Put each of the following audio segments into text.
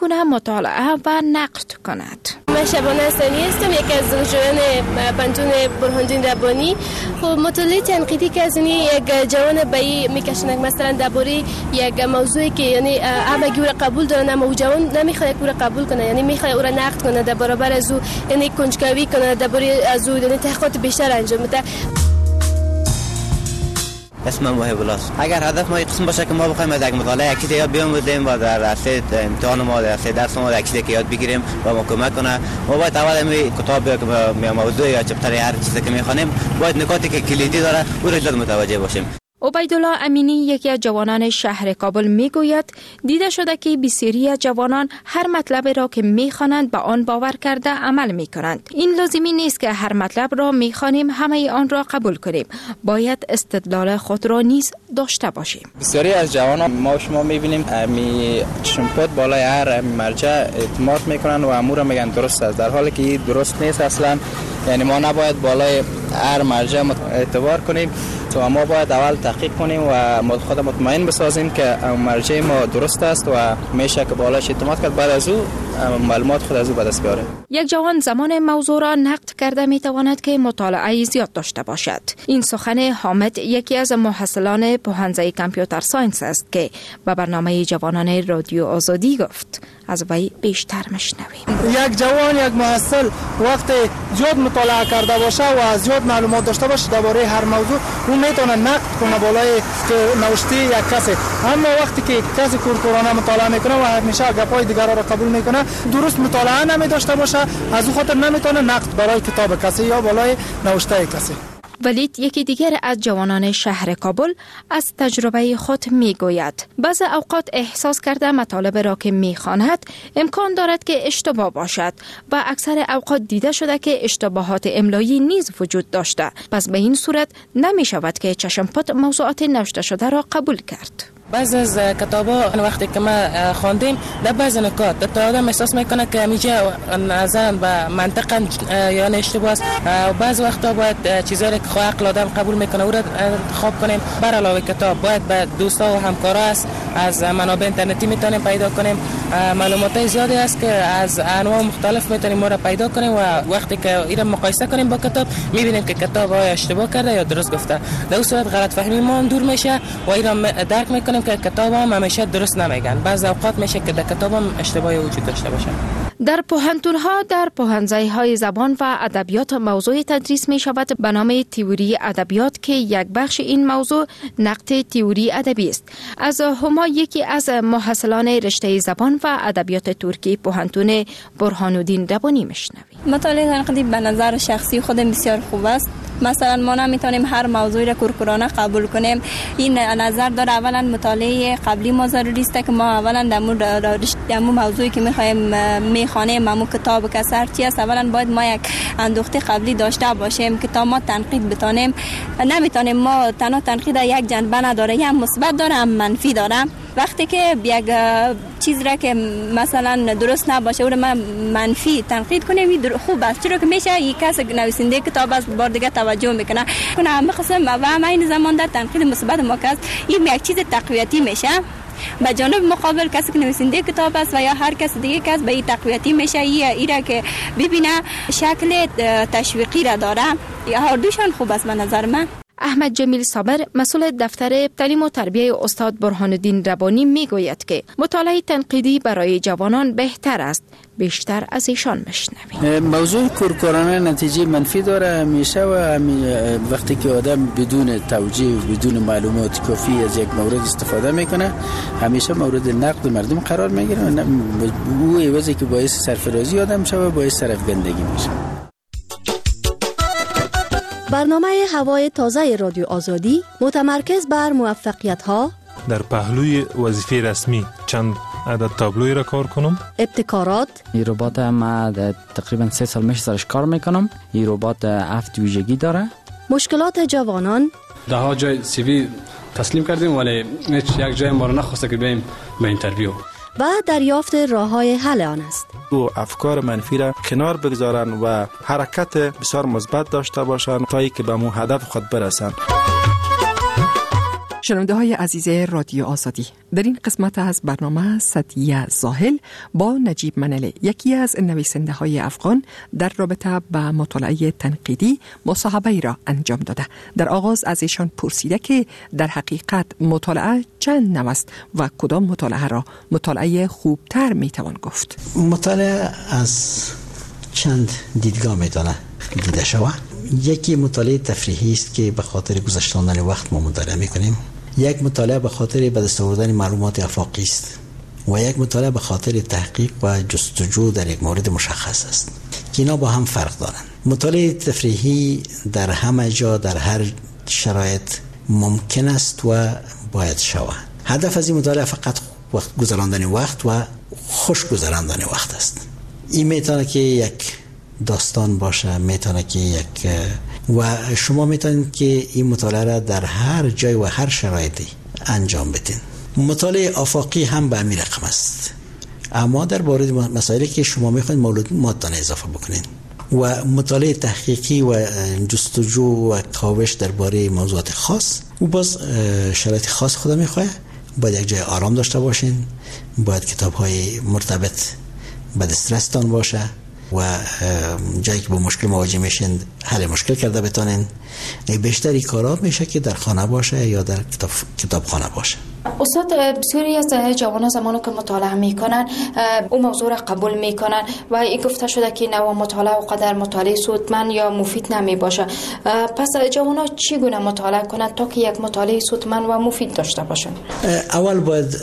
گونه مطالعه و نقد کند. من شبانه حسنی هستم، یکی از دانشجویان پوهنتون برهان‌الدین ربانی. خب مطالعه تنقیدی که از یک جوان به این میکشنه، مثلا درباره یک موضوعی که یعنی همگی او را قبول دارن اما او جوان نمیخواد او را قبول کنه، یعنی میخواد او را نقد کنه، در برابر از او یعنی کنجکاوی کنه، درباره از او یعنی تحقیقات بیشتر انجام بده. اسمم وهب الله است. اگر هدف ما یک قسم باشه که ما بخوایم از یک مطالعه یک چیز یاد بیاموزیم و در عرصه امتحان ما، در عرصه درس ما یک چیزی که یاد بگیریم و ما کمک کنه، ما باید اول همین کتاب یا موضوع یا چپتر هر چیزی که میخوانیم باید نکاتی که کلیدی داره او را زیاد متوجه باشیم. عبیدالله امینی یکی از جوانان شهر کابل میگوید دیده شده که بسیاری از جوانان هر مطلب را که میخوانند به آن باور کرده عمل میکنند. این لازمی نیست که هر مطلب را میخوانیم همه آن را قبول کنیم. باید استدلال خود را نیز داشته باشیم. بسیاری از جوانان ما شما میبینیم می چشمپوت بالای هر مرجع اعتماد میکنن و امور میگن درست است، در حالی که درست نیست اصلا. یعنی ما نباید بالای هر مرجع اعتبار کنیم، تو ما باید اول تحقیق کنیم و خود مطمئن بسازیم که مرجع ما درست است و میشه که بالاش اعتماد کرد، بعد از او معلومات خود از او به دست بیاریم. یک جوان زمان موضوع را نقد کرده میتواند که مطالعه زیاد داشته باشد. این سخن حامد یکی از محصلان پوهنځی computer science است که به برنامه جوانان رادیو آزادی گفت. از وی بیشتر مشنویم. یک جوان، یک محصل وقت زیاد مطالعه کرده باشه و زیاد معلومات داشته باشه درباره هر موضوع، او میتونه نقد کنه بالای نوشته یک کسی. اما وقتی که کسی کورکورانه مطالعه میکنه و همیشه گپای دیگران را قبول میکنه، درست مطالعه نمی داشته باشه، از او خاطر نمیتونه نقد برای کتاب کسی یا بالای نوشته کسی. ولید یکی دیگر از جوانان شهر کابل از تجربه خود میگوید بعض اوقات احساس کرده مطالب را که میخواند امکان دارد که اشتباه باشد و اکثر اوقات دیده شده که اشتباهات املایی نیز وجود داشته، پس به این صورت نمی شود که چشم پت موضوعات نوشته شده را قبول کرد. بعض از کتابا وقتی که ما خواندیم در بعض نکات تا آدم احساس میکنه که همیشه نظرا به منطقا یعنی اشتباه است. بعض وقتا باید چیزایی که عقل آدم قبول میکنه او را انتخاب کنیم. بر علاوه کتاب باید به دوستا و همکارا است، از منابع اینترنتی میتونیم پیدا کنیم. معلومات زیادی است که از انواع مختلف میتونیم ما را پیدا کنیم و وقتی که اینا مقایسه کنیم با کتاب میبینیم که کتاب آیا اشتباه کرده یا درست گفته. در اون صورت غلط فهمی ما دور میشه و اینا درک میکنیم که کتاب هم همیشه درست نمیگن. بعض اوقات میشه که در کتاب هم اشتباهی وجود داشته باشه. در پوهنتون‌ها در پوهنځی‌های زبان و ادبیات موضوع تدریس می شود به نام تئوری ادبیات که یک بخش این موضوع نقد تئوری ادبی است. از هما یکی از محصلان رشته زبان و ادبیات ترکی پوهنتون برهان‌الدین ربانی میشنویم. مطالعه تنقیدی به نظر شخصی خودم بسیار خوب است. مثلا ما نمیتونیم هر موضوعی را کورکورانه قبول کنیم. این نظر داره اولا مطالعه قبلی ما ضروری است که ما اولا در موضوعی که میخوایم میخوانیم، همون کتاب که هر چی است، اولا باید ما یک اندوخته قبلی داشته باشیم که تا ما تنقید بتانیم. نمیتونیم ما تنها تنقید یک جنبه نداره، هم مثبت داره هم منفی داره. وقتی که یک چیز را که مثلا درست نباشه او را ما منفی تنقید کنیم خوب است، چرا که میشه یک کس نویسنده کتاب است بار دیگه توجه میکنه کنه همه قسم و هم این زمان در تنقید مثبت ما کس این یک چیز تقویتی میشه. به جانب مقابل کسی که نویسنده کتاب است و یا هر کس دیگه کس به این تقویتی میشه، ای را که ببینه شکل تشویقی را داره. هر دوشان خوب است به نظر من. احمد جمیل صابر مسئول دفتر تعلیم و تربیه استاد برهان‌الدین ربانی میگوید که مطالعه تنقیدی برای جوانان بهتر است. بیشتر از ایشان میشنویم. موضوع کورکورانه نتیجه منفی داره همیشه و وقتی که آدم بدون توجیه و بدون معلومات کافی از یک مورد استفاده میکنه همیشه مورد نقد مردم قرار میگیره. او عوضی که باعث سرفرازی آدم شوه باعث سرافگندگی میشه. برنامه هوای تازه رادیو آزادی متمرکز بر موفقیت‌ها در پهلوی وظیفه رسمی چند عدد تابلوی را کار کنم، ابتکارات. این ربات ما تقریبا 3 سال میشه سرش کار میکنم. این ربات 7 ویژگی داره. مشکلات جوانان. ده ها جای CV تسلیم کردیم ولی هیچ یک جای ما را نخواسته که بیایم به interview. و دریافت راه‌های حل آن است. او افکار منفی را کنار بگذارن و حرکت بسیار مثبت داشته باشند تا اینکه به مو هدف خود برسند. شنونده های عزیز رادیو آزادی، در این قسمت از برنامه صدیه زاهل با نجیب منله، یکی از نویسنده های افغان، در رابطه با مطالعه تنقیدی مصاحبه را انجام داده. در آغاز از ایشان پرسیده که در حقیقت مطالعه چند نوع است و کدام مطالعه را مطالعه خوبتر میتوان گفت. مطالعه از چند دیدگاه میتونه دیده شود. یکی مطالعه تفریحی است که به خاطر گذشتاندن وقت ما مطالعه میکنیم. یک مطالعه به خاطر به دست آوردن معلومات آفاقی است و یک مطالعه به خاطر تحقیق و جستجو در یک مورد مشخص است که اینا با هم فرق دارند. مطالعه تفریحی در همه جا در هر شرایط ممکن است و باید شود. هدف از این مطالعه فقط وقت گذراندن وقت و خوش گذراندن وقت است. این میتونه که یک داستان باشه، میتونه که یک و شما میتونید که این مطالعه را در هر جای و هر شرایطی انجام بدین. مطالعه آفاقی هم به همین رقم است، اما در مورد مسائلی که شما میخواین معلوماتتان اضافه بکنین. و مطالعه تحقیقی و جستجو و کاوش درباره موضوعات خاص، او باز شرایط خاص خود میخواه. باید یک جای آرام داشته باشین، باید کتاب‌های مرتبط به دسترستان باشه و جایی که با مشکل مواجه میشین حل مشکل کرده بتانین. بیشتری کارا میشه که در خانه باشه یا در کتابخانه باشه. استاد، بسیاری از جوانان زمانی که مطالعه میکنن اون موضوع را قبول میکنن و این گفته شده که نوع مطالعه و قدر مطالعه سودمند یا مفید نمی باشه. پس جوانان چگونه مطالعه کنند تا که یک مطالعه سودمند و مفید داشته باشند؟ اول باید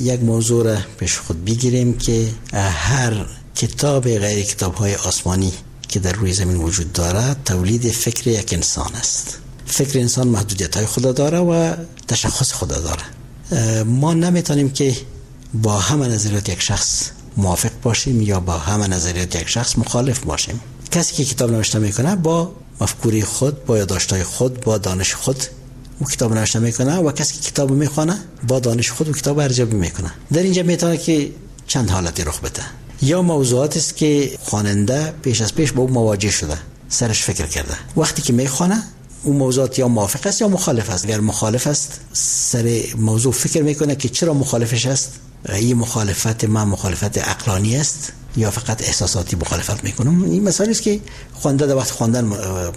یک موضوع را پیش خود بگیریم که هر کتاب غیر کتاب‌های آسمانی که در روی زمین وجود دارد تولید فکر یک انسان است. فکر انسان محدودیت‌های خود داره و تشخص خود داره. ما نمیتونیم که با همه نظریات یک شخص موافق باشیم یا با همه نظریات یک شخص مخالف باشیم. کسی که کتاب نوشته میکنه با مفکوره خود، با یادداشت‌های خود، با دانش خود او کتاب نوشته میکنه و کسی که کتاب میخوانه با دانش خود او کتاب ارزیابی میکنه. در اینجا میتونه که چند حالتی رخ بده. یا موضوعات است که خواننده پیش از پیش با او مواجه شده، سرش فکر کرده، وقتی که میخوانه اون موضوعات یا موافق است یا مخالف است. اگر مخالف است سر موضوع فکر میکنه که چرا مخالفش است، این مخالفت من مخالفت عقلانی است یا فقط احساساتی مخالفت میکنم. این مسائلی است که خواننده در وقت خواندن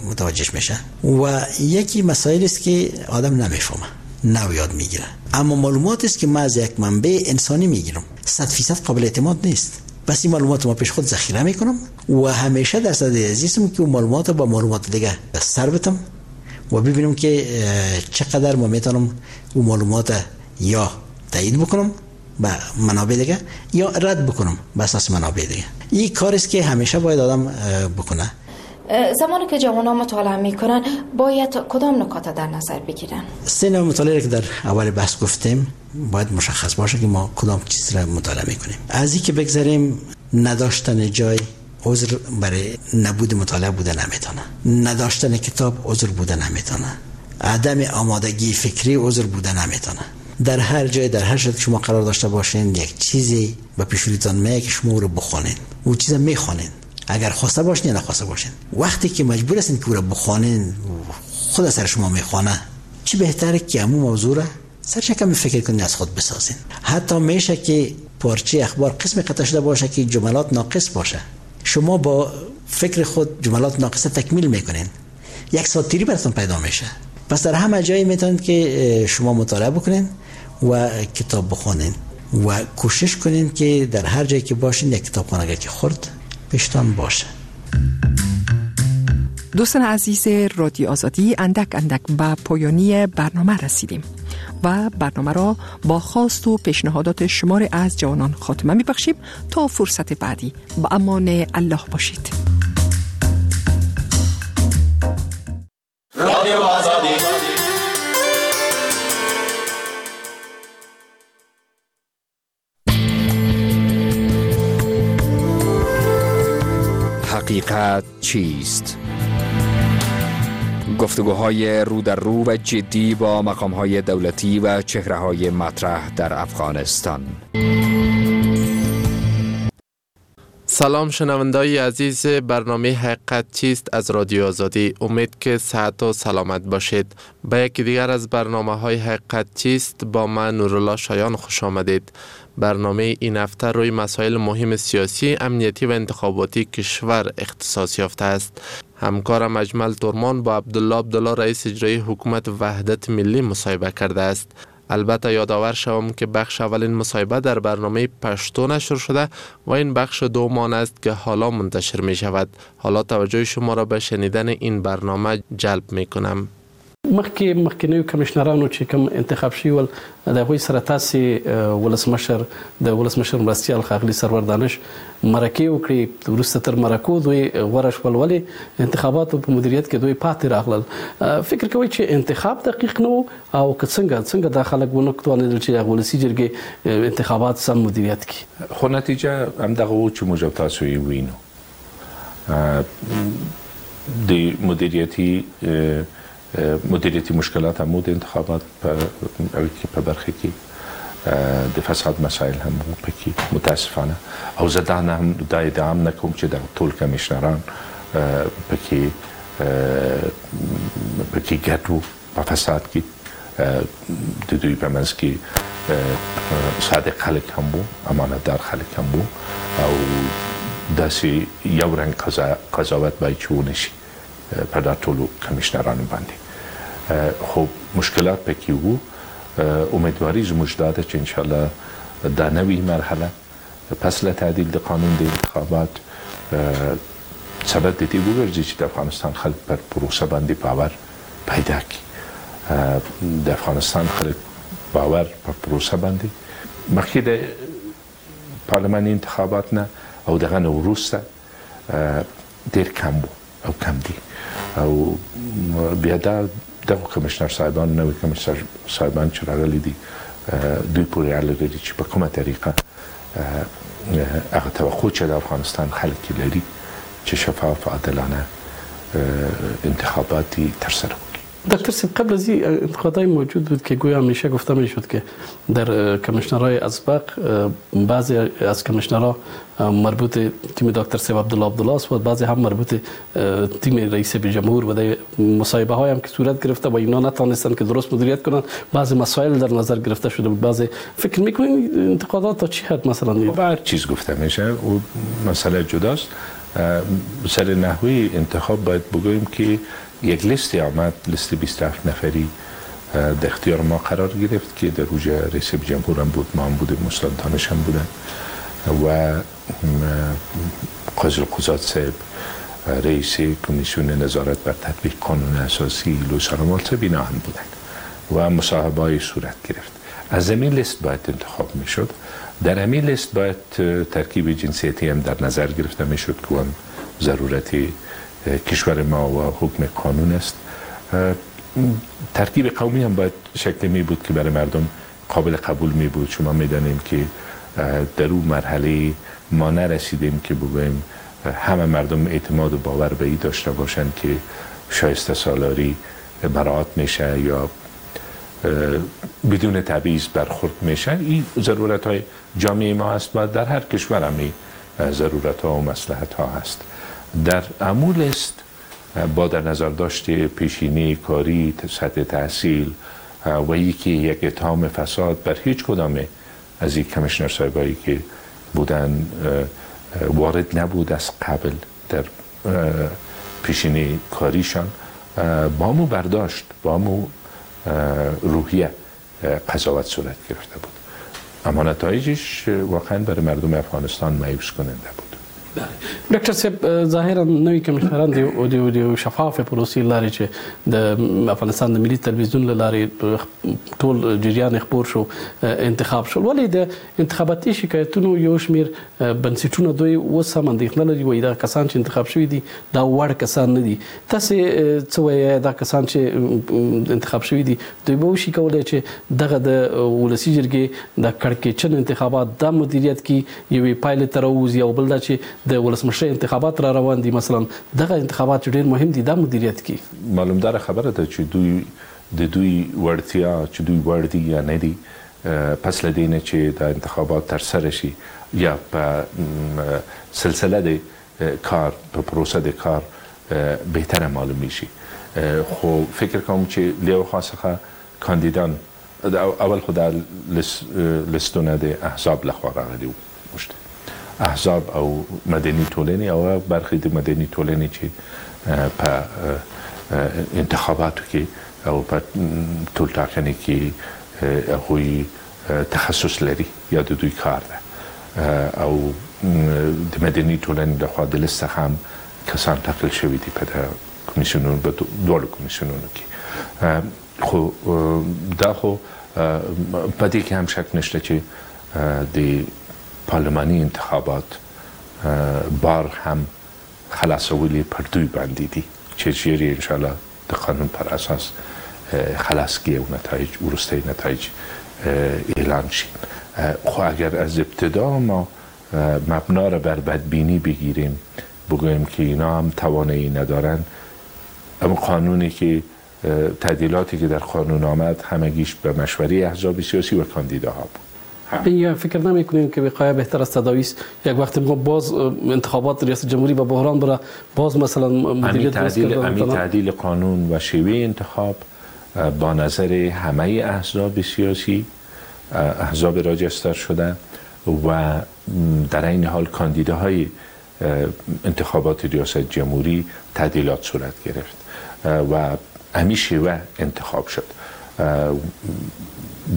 متوجهش میشه. و یکی مسائلی است که آدم نمیفهمه، نو یاد میگیره، اما معلومات است که من از یک منبع انسانی میگیرم 100% قابل اعتماد نیست. پس این معلومات ما پیش خود ذخیره میکنم و همیشه در صدد عزیزم که اون معلومات با معلومات دیگه سر بتم و ببینم که چقدر ما میتونم اون معلومات یا تایید بکنم با منابع دیگه یا رد بکنم به اساس منابع دیگه. این کار است که همیشه باید آدم بکنه. زمانی که جوانان مطالعه میکنن باید کدام نکات در نظر بگیرن؟ سه نوع مطالعه که در اول بحث گفتیم باید مشخص باشه که ما کدام چیز را مطالعه میکنیم. از اینکه بگذاریم نداشتن جای عذر برای نبود مطالعه بوده نمیتونه، نداشتن کتاب عذر بوده نمیتونه، عدم آمادگی فکری عذر بوده نمیتونه. در هر جای در هر شرایطی شما قرار داشته باشین یک چیزی به پیش رویتان میاد که شما رو بخوانین، اون چیزا میخوانین اگر خواسته باشین یا نخواسته باشین. وقتی که مجبور هستین که او را بخوانین خود سر شما میخوانه، چی بهتره که همون موضوع را سرش کمی فکر کنین، از خود بسازین. حتی میشه که پارچه اخبار قسم قطع شده باشه که جملات ناقص باشه، شما با فکر خود جملات ناقص تکمیل میکنین، یک ساتیری براتون پیدا میشه. پس در همه جایی میتونید که شما مطالعه بکنین و کتاب بخونین و کوشش کنین که در هر جایی که باشین یک کتابخانه که خرد پیشتان باشه. دوستان عزیز رادیو آزادی، اندک اندک به پایانی برنامه رسیدیم و برنامه را با خواست و پیشنهادات شمار از جوانان خاتمه می‌بخشیم. تا فرصت بعدی به امان الله باشید. رادیو آزادی. حقیقت چیست؟ گفتگوهای رو در رو و جدی با مقام‌های دولتی و چهره‌های مطرح در افغانستان. سلام شنوندای عزیز برنامه حقیقت چیست از رادیو آزادی. امید که صحت و سلامت باشید. به یکی دیگر از برنامه های حقیقت چیست با من نورالله شایان خوش آمدید. برنامه این هفته روی مسائل مهم سیاسی، امنیتی و انتخاباتی کشور اختصاص یافته است. همکارم اجمل تورمان با عبدالله عبدالله رئیس اجرایی حکومت وحدت ملی مصاحبه کرده است. البته یادآور شوم که بخش اولین مصاحبه در برنامه پشتو نشر شده و این بخش دوم آن است که حالا منتشر می شود. حالا توجه شما را به شنیدن این برنامه جلب می کنم. مخکې مخکنیو کمشنرانو چې کوم انتخاب شوي ول د هغوی سره تاسې ولسمشر د ولسمشر مرستیال ښاغلي سرور دانش مرکې وکړې، وروسته تر مرکو دوی غوره شول، ولې انتخاباتو په مدیریت کې دوی پاتې راغلل. فکر کوئ چې انتخاب دقیق نه و او که څنګه دا خلک ونه توانېدل چې هغه ولسي جرګې انتخابات سم مدیریت کړي؟ خو نتیجه همدغه و چې موږ تاسو یې وینو. د مدیریتی مشکلات هم بود انتخابات په برخه کې، د فساد مسائل هم وو پکې متاسفانه، او زه دا نه هم دا ادعا هم نه کوم چې دغه ټول کمیشنران پکې ګډ وو په فساد کې. د دوی په منځ کې صادق خلک هم وو، امانتدار خلک هم وو، او داسې یو رنګ قضاوت باید چې ونه شي پر دا ټولو کمیشنرانو باندې. خو مشکلات پکې وو. امیدواري زموږ دا ده چې انشاءالله دا نوې مرحله پس له تعدیل د قانون د انتخابات سبب د دې وګرځي چې د افغانستان خلک پر پروسه باندې باور پیدا کړي. د افغانستان خلک باور پر پروسه باندې مخکې د پارلماني انتخابات نه او دغه نه وروسته ډېر کم وو او کم دي. او بیا دا دغه کمیشنر صاحبان، نوي کمیشنر صاحبان چې راغلي دي، دوی پورې اړه لري چې په کومه طریقه هغه توقع چې د افغانستان خلک یې لري چې شفاف عادلانه انتخابات ترسره کړي. دکتر صاحب، قبل از این انتقادهای موجود بود که گویا همیشه گفته میشد که در کمیشنرهای اسبق بعضی از کمیشنرها مربوط تیم دکتر صاحب عبدالله عبدالله است و بعضی هم مربوط تیم رئیس جمهور و در مصاحبه های هم که صورت گرفته و اینا نتانستند که درست مدیریت کنند، بعضی مسائل در نظر گرفته شده بود. بعضی فکر میکنین انتقادات تا چی حد مثلا؟ هر چیز گفته میشه و مسئله جداست. سر نحوی انتخاب باید بگوییم که یک لیستی آمد، لیست 27 نفری در اختیار ما قرار گرفت که در اوج رئیس جمهور هم بود، ما هم بودیم، استاد دانش هم بودن و قاضی القضات صاحب، رئیس کمیسیون نظارت بر تطبیق قانون اساسی لوی صاحب، اینا هم بودن و مصاحبه های صورت گرفت. از همین لیست باید انتخاب میشد. در همین لیست باید ترکیب جنسیتی هم در نظر گرفته میشد که هم ضرورت کشور ما و حکم قانون است. ترکیب قومی هم باید شکل می بود که برای مردم قابل قبول می بود. شما می دانیم که در اون مرحله ما نرسیدیم که بگوییم همه مردم اعتماد و باور به این داشته باشند که شایسته سالاری مراعات میشه یا بدون تبعیض برخورد میشه. این ضرورت های جامعه ما است و در هر کشور هم ضرورت ها و مصلحت ها هست. در عمول است با در نظر داشت پیشینه کاری، سطح تحصیل و یکی یک اتهام فساد بر هیچ کدام از این کمیشنر صاحبایی که بودن وارد نبود از قبل در پیشینه کاریشان، با مو برداشت، با مو روحیه قضاوت صورت گرفته بود. اما نتایجش واقعا برای مردم افغانستان مایوس کننده بود. ډاکټر صاحب، ظاهرا نوی کمیشنران د شفافې پروسې لارې چې د افغانستان د ملي تلویزیون له لارې ټول جریان خپور شو انتخاب شول، ولې د انتخاباتي شکایتونو یو شمېر بنسټونه دوی اوس هم اندېښنه لري، وایي دا کسان چې انتخاب شوي دي دا وړ کسان نه دي. تاسې څه وایئ، دا کسان چې انتخاب شوي دي دوی به وشي کولی چې دغه د ولسي جرګې د کړکېچن انتخابات دا مدیریت کې یوې پایلې ته راووځي، او بل دا چې د ولسمشرۍ انتخابات را روان دي، مثلا دغه انتخابات چې ډېر مهم دي دا مدیریت کی؟ معلومداره خبره ده چې دوی د دوی وړتیا چې دوی وړ دي یا نه دي، پس له دې نه چې دا انتخابات ترسره شي یا په سلسله د کار په پروسه د کار بهتره معلومیږي. خو فکر کوم چې له یو خوا څخه کاندیدان اول خو دا لستونه د احزاب لخوا راغلي وو، احزاب او مدني ټولنې او برخې د مدني ټولنې چې په انتخاباتو کې او په ټولټاکنې کې هغوی تخصص لري یا د دوی کار ده، او د مدني ټولنې لخوا د لست څخه هم کسان ټاکل شوي دي په کمیسیونونو، په دواړو کمیسیونونو کې. خو دا خو په دې کې هم شک نشته چې د پارلماني انتخابات بار هم خلاصولې پر دوی باندې دي چې ژر یې انشاءالله د قانون پر اساس خلاص کړي او نتایج وروستي نتایج اعلان شي. خو اگر از ابتدا ما مبنا را بر بدبینی بگیریم، بگوییم که اینا هم توانایی ندارن، اما قانونی که تعدیلاتی که در قانون آمد همگیش به مشوره احزاب سیاسی و کاندیداها بود. یا فکر نمی‌کنیم که وقایع بهتر از تداوی است؟ یک وقت ما باز انتخابات ریاست جمهوری به بحران بره، باز مثلا مدیریت تعدیل قانون و شیوه انتخاب با نظر همه احزاب سیاسی، احزاب راجستر شده و در این حال کاندیداهای انتخابات ریاست جمهوری تعدیلات صورت گرفت و همین شیوه انتخاب شد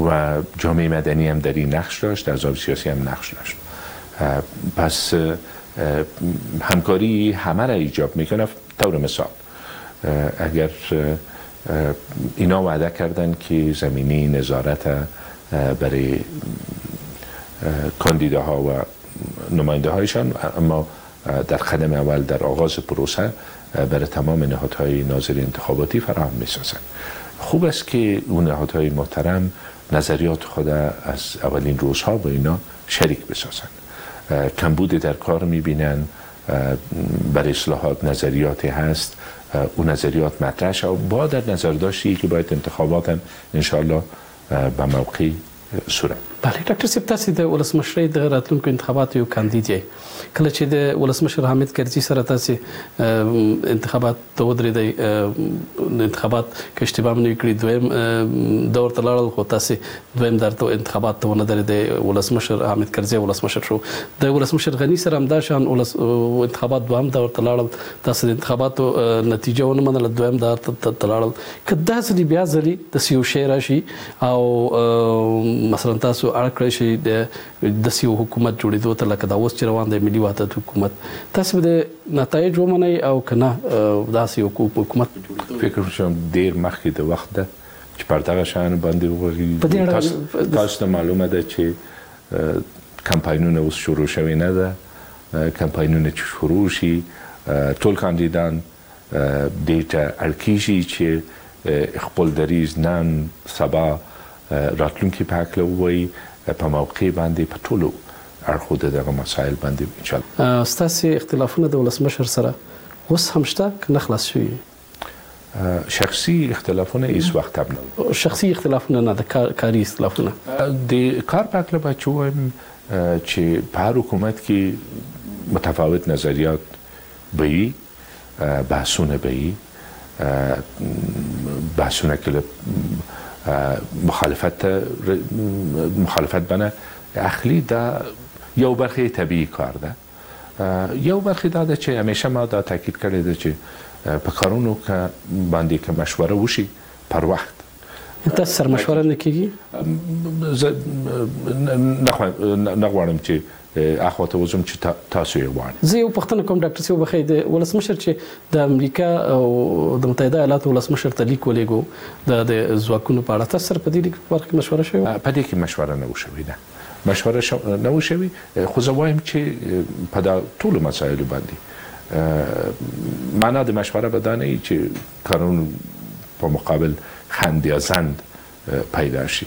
و جامعه مدنی هم در این نقش داشت، احزاب سیاسی هم نقش داشت. پس همکاری همه را ایجاب میکنه. طور مثال اگر اینا وعده کردن که زمینه نظارت برای کاندیداها و نماینده هایشان، اما در قدم اول در آغاز پروسه برای تمام نهادهای ناظر انتخاباتی فراهم میسازند. خوب است که اون نهادهای محترم نظریات خود از اولین روزها با اینا شریک بسازند. کمبود در کار میبینن، برای اصلاحات نظریاتی هست، اون نظریات مطرح شد با در نظر داشتی که باید انتخابات هم انشاءالله به موقع صورت. بله ډاکټر صاحب، تاسو د ولسمشرۍ د راتلونکو انتخاباتو یو کاندید یئ. کله چې د ولسمشر حامد کرزي سره تاسو انتخابات ته ودرېدئ، انتخابات که اشتباه مې نه وي کړې دویم دور ته لاړل، خو تاسو دویم دور ته انتخابات ته ونه درېدئ، ولسمشر حامد کرزي ولسمشر شو. د ولسمشر غني سره همدا شان انتخابات دوهم دور ته لاړل، تاسو د انتخاباتو نتیجه ونه منله، دویم دور ته لاړل. که دا ځلې بیا ځلې داسې یو شی راشي او مثلا تاسو اړ کړی شئ د داسې یو حکومت جوړېدو ته لکه دا اوس چې روان دی ملي وحدت حکومت، تاسو به د نتایج ومنئ او که نه داسې یو حکومت جوړېدو؟ فکر کوم ډېر مخکې د وخت ده چې پر دغه شیانو باندې وغږېږو. تاسو ته معلومه ده چې کمپاینونه اوس شروع شوې نه ده. کمپاینونه چې شروع شي ټول کاندیدان دې ته اړ کېږي چې خپل دریځ نن سبا راتلونکي په هکله ووایي، په موقع باندې په ټولو اړخو د دغه مسایل باندې انشاءالله. ستاسې اختلافونه د ولسمشر سره اوس هم شته که نه خلاص شوي؟ شخصي اختلافونه هیڅ وخت هم نه وو. شخصي اختلافونه نه، د کاري اختلافونه. د کار په هکله باید چې ووایم چې په هر حکومت کې متفاوت نظریات به وي، بحثونه به وي، بحثونه که مخالفت بنه اخلي، دا یو برخه طبیعي کار ده. یو برخه دا ده چې همیشه ما دا تاکید کړی ده چې په کارونو باندې که مشوره وشي پر وخت. تاسو سره مشوره نه کېږي؟ زه نه غواړم چې اخوا ته وځم چې تاسو یې غواړئ. زه یو پوښتنه کوم ډاکټر صاحب، وبخښئ، د ولسمشر چې د امریکا او د متحده ایالاتو ولسمشر ته لیک ولېږو د ځواکونو په اړه، تاسو سره په دې لیک برخه کې مشوره شوې وه؟ په دې کې مشوره نه وه شوې، نه مشوره نه وه شوې. خو زه وایم چې په دا ټولو مسایلو باندې معنا د مشوره به دا نه وي چې کارونو په مقابل خند یا زند پیدا شي.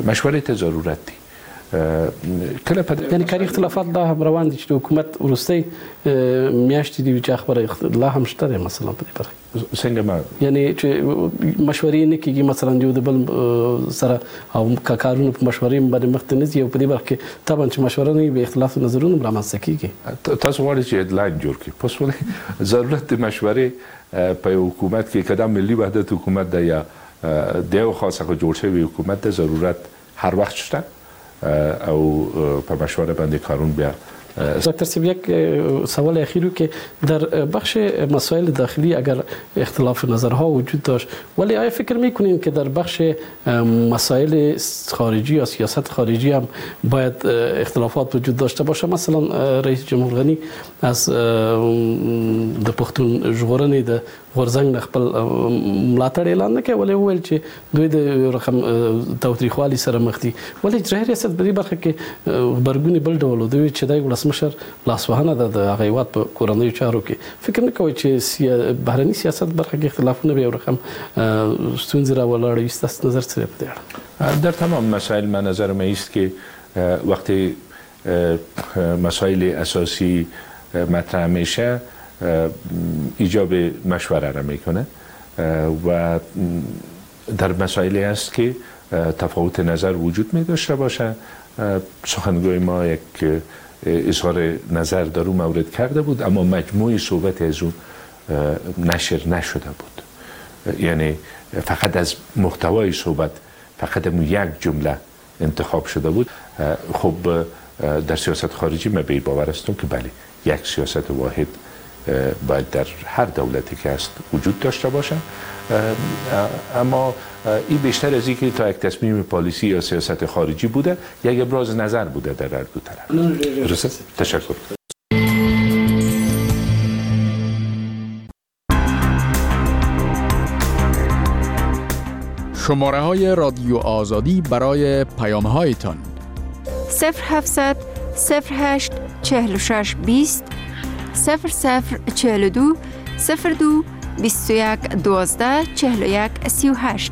مشورې ته ضرورت دی. کله په یعنی کاري اختلافات لا هم روان دي چې حکومت وروستۍ میاشتې دی چې خبره لا هم شته دی، مثلا په دې برخه څنګه ما یعنی چې مشورې نه کیږي مثلا یو د بل سره او کارونه په مشورې باندې مخ ته نه ځي، او په دې برخه کې طبعا چې مشوره نه وي به اختلاف نظرونه رامنځته کیږي. تاسو غواړئ چې هډلاین جوړ کړئ، پس ولې ضرورت د مشورې په یو حکومت کې که دا ملي وحدت حکومت ده یا د یو خاص څخه جوړ شوی حکومت ده، ضرورت هر وخت شته او په مشوره باندې کارون بیا. دکتر صاحب یک سوال اخیری که در بخش مسائل داخلی اگر اختلاف نظرها وجود داشت، ولی آیا فکر میکنین که در بخش مسائل خارجی یا سیاست خارجی هم باید اختلافات وجود داشته باشه؟ مثلا رئیس جمهور غنی از د پښتون ژغورنې د غورځنګ نه خپل ملاتړ اعلان نه کوي، ولې وویل چې دوی د رقم تاوتریخوالي سره مخ دي، ولې اجرائیه ریاست په دې برخه کې غبرګون بل ډول و، دوی چې د ولسمشر لاسوهنه ده د هغه هیواد په کورنیو چارو کې، فکر نه کوي چې بهرني سیاست برخه کې اختلافونه به یو رقم ستونزې راولاړوي؟ ستاسو نظر څه دی په دې اړه؟ در تمام مسائل من نظرم است که وقتی مسائل اساسی مطرح میشه ایجاب مشوره را میکنه و در مسائلی است که تفاوت نظر وجود می داشته باشه. سخنگوی ما یک اظهار نظر در اون مورد کرده بود، اما مجموع صحبت از اون نشر نشده بود، یعنی فقط از محتوای صحبت فقط یک جمله انتخاب شده بود. خب در سیاست خارجی من به باور هستم که بله، یک سیاست واحد باید در هر دولتی که هست وجود داشته باشه، اما این بیشتر از اینکه تا یک تصمیم پالیسی یا سیاست خارجی بوده، یک ابراز نظر بوده در هر دو طرف. درست؟ تشکر. شماره های رادیو آزادی برای پیام هایتان 0700 08 46 20 00 42 02 21 12 41 38.